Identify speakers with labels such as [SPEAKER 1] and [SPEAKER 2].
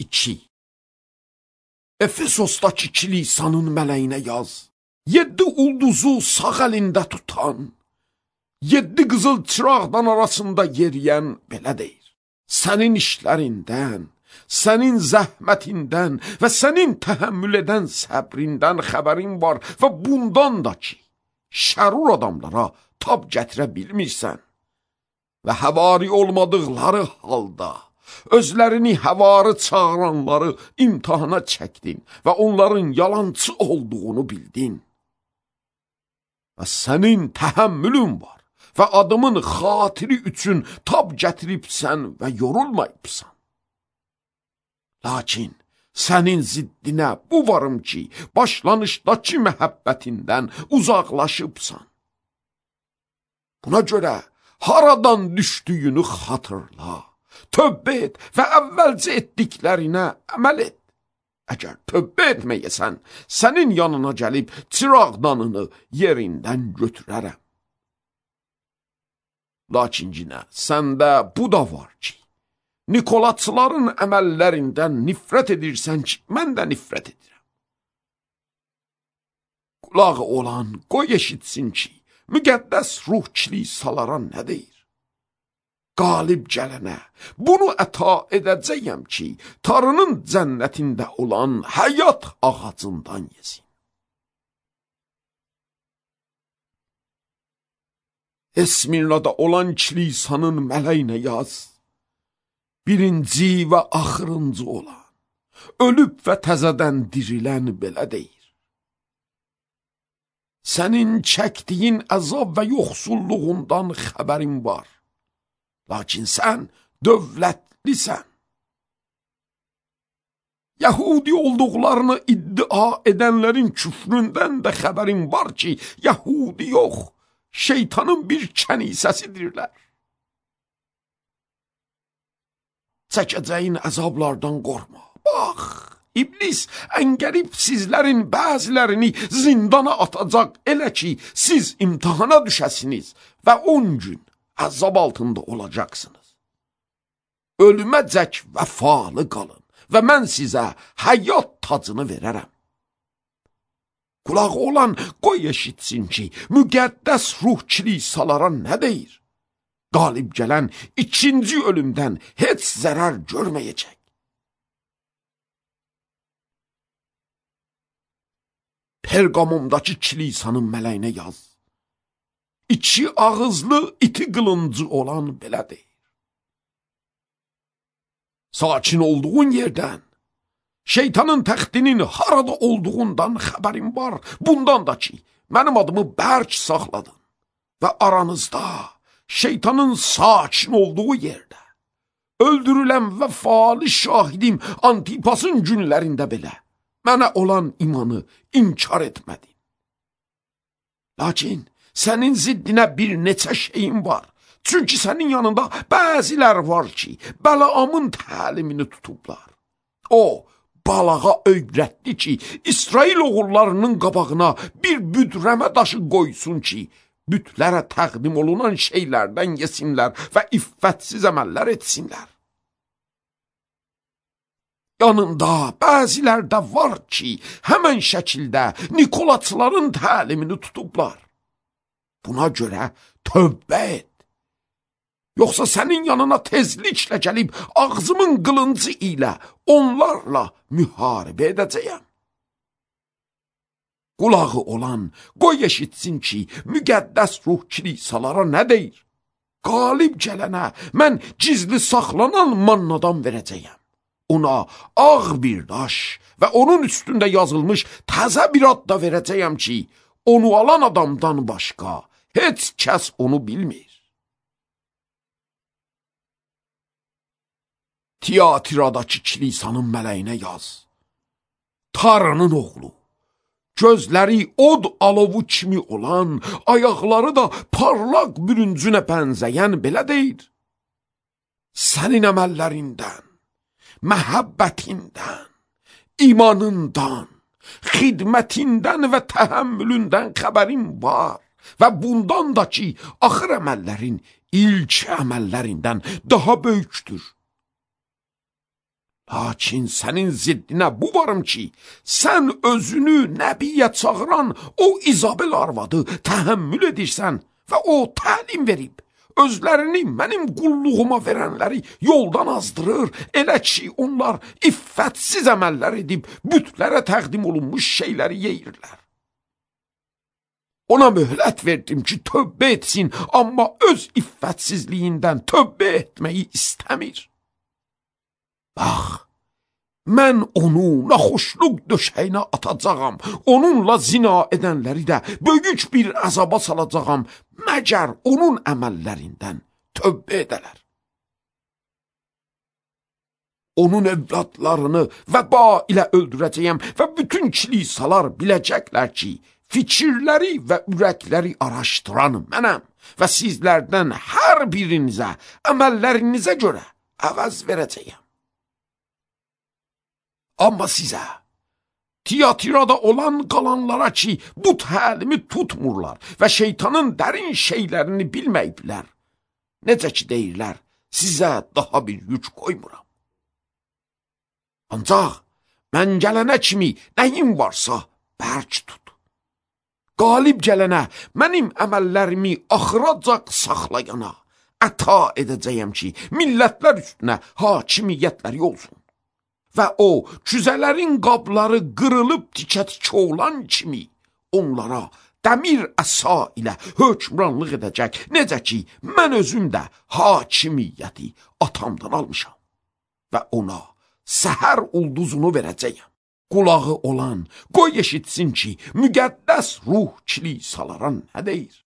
[SPEAKER 1] 2. Efesosdakı kilisanın mələyinə yaz. 7 ulduzu sağ əlində tutan, 7 qızıl çıraqdan arasında yeriyən belə deyir. Sənin işlərindən, sənin zəhmətindən və sənin təhəmmül edən səbrindən xəbərin var və bundan da ki, şərur adamlara tab gətirə bilmirsən və həvari olmadıqları halda özlərini həvarı çağıranları imtihana çəkdin və onların yalancı olduğunu bildin. Və sənin təhəmmülün var və adımın xatiri üçün tab gətiribsən və yorulmayıbsan. Lakin sənin ziddinə bu varım ki, başlanışdakı məhəbbətindən uzaqlaşıbsan. Buna görə haradan düşdüyünü xatırla, tövbə et və əvvəlcə etdiklərinə əməl et. Əgər tövbə etməyəsən, sənin yanına gəlib çıraqdanını yerindən götürərəm. Lakin yenə səndə bu da var ki, Nikolatçıların əməllərindən nifrət edirsən ki, mən də nifrət edirəm. Qulağı olan qoy eşitsin ki, müqəddəs ruh kilisalara nə deyir? Qalib gələnə bunu əta edəcəyəm ki, Tanrının cənnətində olan həyat ağacından yesin. Esmirnada olan kilisanın mələyinə yaz. Birinci və axırıncı olan, ölüb və təzədən dirilən belə deyir. Sənin çəkdiyin əzab və yoxsulluğundan xəbərin var. Lakin sən dövlətlisən. Yahudi olduqlarını iddia edənlərin küfründən də xəbərin var ki, Yahudi yox, şeytanın bir kənisəsidirlər. Çəkəcəyin əzablardan qorxma. Bax, İblis əngəlib sizlərin bəzilərini zindana atacaq, elə ki, siz imtihana düşəsiniz və 10 gün əzab altında olacaqsınız. Ölüməcək vəfalı qalın və mən sizə həyat tacını verərəm. Qulağı olan qoy eşitsin ki, müqəddəs ruh kilisalara nə deyir? Qalib gələn ikinci ölümdən heç zərər görməyəcək. Perqamumdakı kilisanın mələyinə yaz. 2 ağızlı iti qılıncı olan belə deyir. Sakin olduğun yerdən, şeytanın təxtinin harada olduğundan xəbərin var. Bundan da ki, mənim adımı bərk saxladın və aranızda şeytanın sakin olduğu yerdə, öldürülən və faali şahidim Antipasın günlərində belə mənə olan imanı inkar etmədin. Lakin sənin ziddinə bir neçə şeyin var. Çünki sənin yanında bəzilər var ki, Bəlaamın təlimini tutublar. O, balağa öyrətdi ki, İsrail oğullarının qabağına bir büdrəmə daşı qoysun ki, bütlərə təqdim olunan şeylərdən yesinlər və iffətsiz əməllər etsinlər. Yanında bəzilər də var ki, həmən şəkildə Nikolatçıların təlimini tutublar. Buna görə tövbə et. Yoxsa sənin yanına tezliklə gəlib ağzımın qılıncı ilə onlarla müharibə edəcəyəm. Qulağı olan qoy eşitsin ki, müqəddəs ruh kilisalara nə deyir? Qalib gələnə mən gizli saxlanan mannadan verəcəyəm. Ona ağ bir daş və onun üstündə yazılmış təzə bir ad da verəcəyəm ki, onu alan adamdan başqa heç kəs onu bilmir. Tiatiradakı kilisanın mələyinə yaz. Tanrının oğlu, gözləri od alovu kimi olan, ayaqları da parlaq bürüncünə bənzəyən belə deyir. Sənin əməllərindən, məhəbbətindən, imanından, xidmətindən və təhəmmülündən xəbərin var və bundan da ki, axır əməllərin ilk əməllərindən daha böyükdür. Lakin sənin ziddinə bu varım ki, sən özünü nəbiyə çağıran o İzabel arvadı təhəmmül edirsən və o təlim verib. Özlərini mənim qulluğuma verənləri yoldan azdırır, elə ki onlar iffətsiz əməllər edib bütlərə təqdim olunmuş şeyləri yeyirlər. Ona möhlət verdim ki tövbə etsin, amma öz iffətsizliyindən tövbə etməyi istəmir. Bax, mən onu naxoşluq döşəyinə atacağam, onunla zina edənləri də böyük bir əzaba salacağam, məgər onun əməllərindən tövbə edələr. Onun evladlarını vəba ilə öldürəcəyəm və bütün kilisalar biləcəklər ki, fikirləri və ürəkləri araşdıran mənəm və sizlərdən hər birinizə əməllərinizə görə əvəz verəcəyəm. Amma sizə, Tiyatirada olan qalanlara ki, bu təlimi tutmurlar və şeytanın dərin şeylərini bilməyiblər, necə ki deyirlər, sizə daha bir yük qoymuram. Ancaq mən gələnə kimi nəyim varsa bərk tut. Qalib gələnə mənim əməllərimi axıracaq saxlayana əta edəcəyəm ki, millətlər üstünə hakimiyyətləri olsun. Və o, cüzələrin qabları qırılıb tikə-tikə olan kimi onlara dəmir əsa ilə hökmranlıq edəcək, necə ki, mən özüm də hakimiyyəti atamdan almışam və ona səhər ulduzunu verəcəyəm. Qulağı olan, qoy eşitsin ki, müqəddəs ruh kilisalara nə deyir?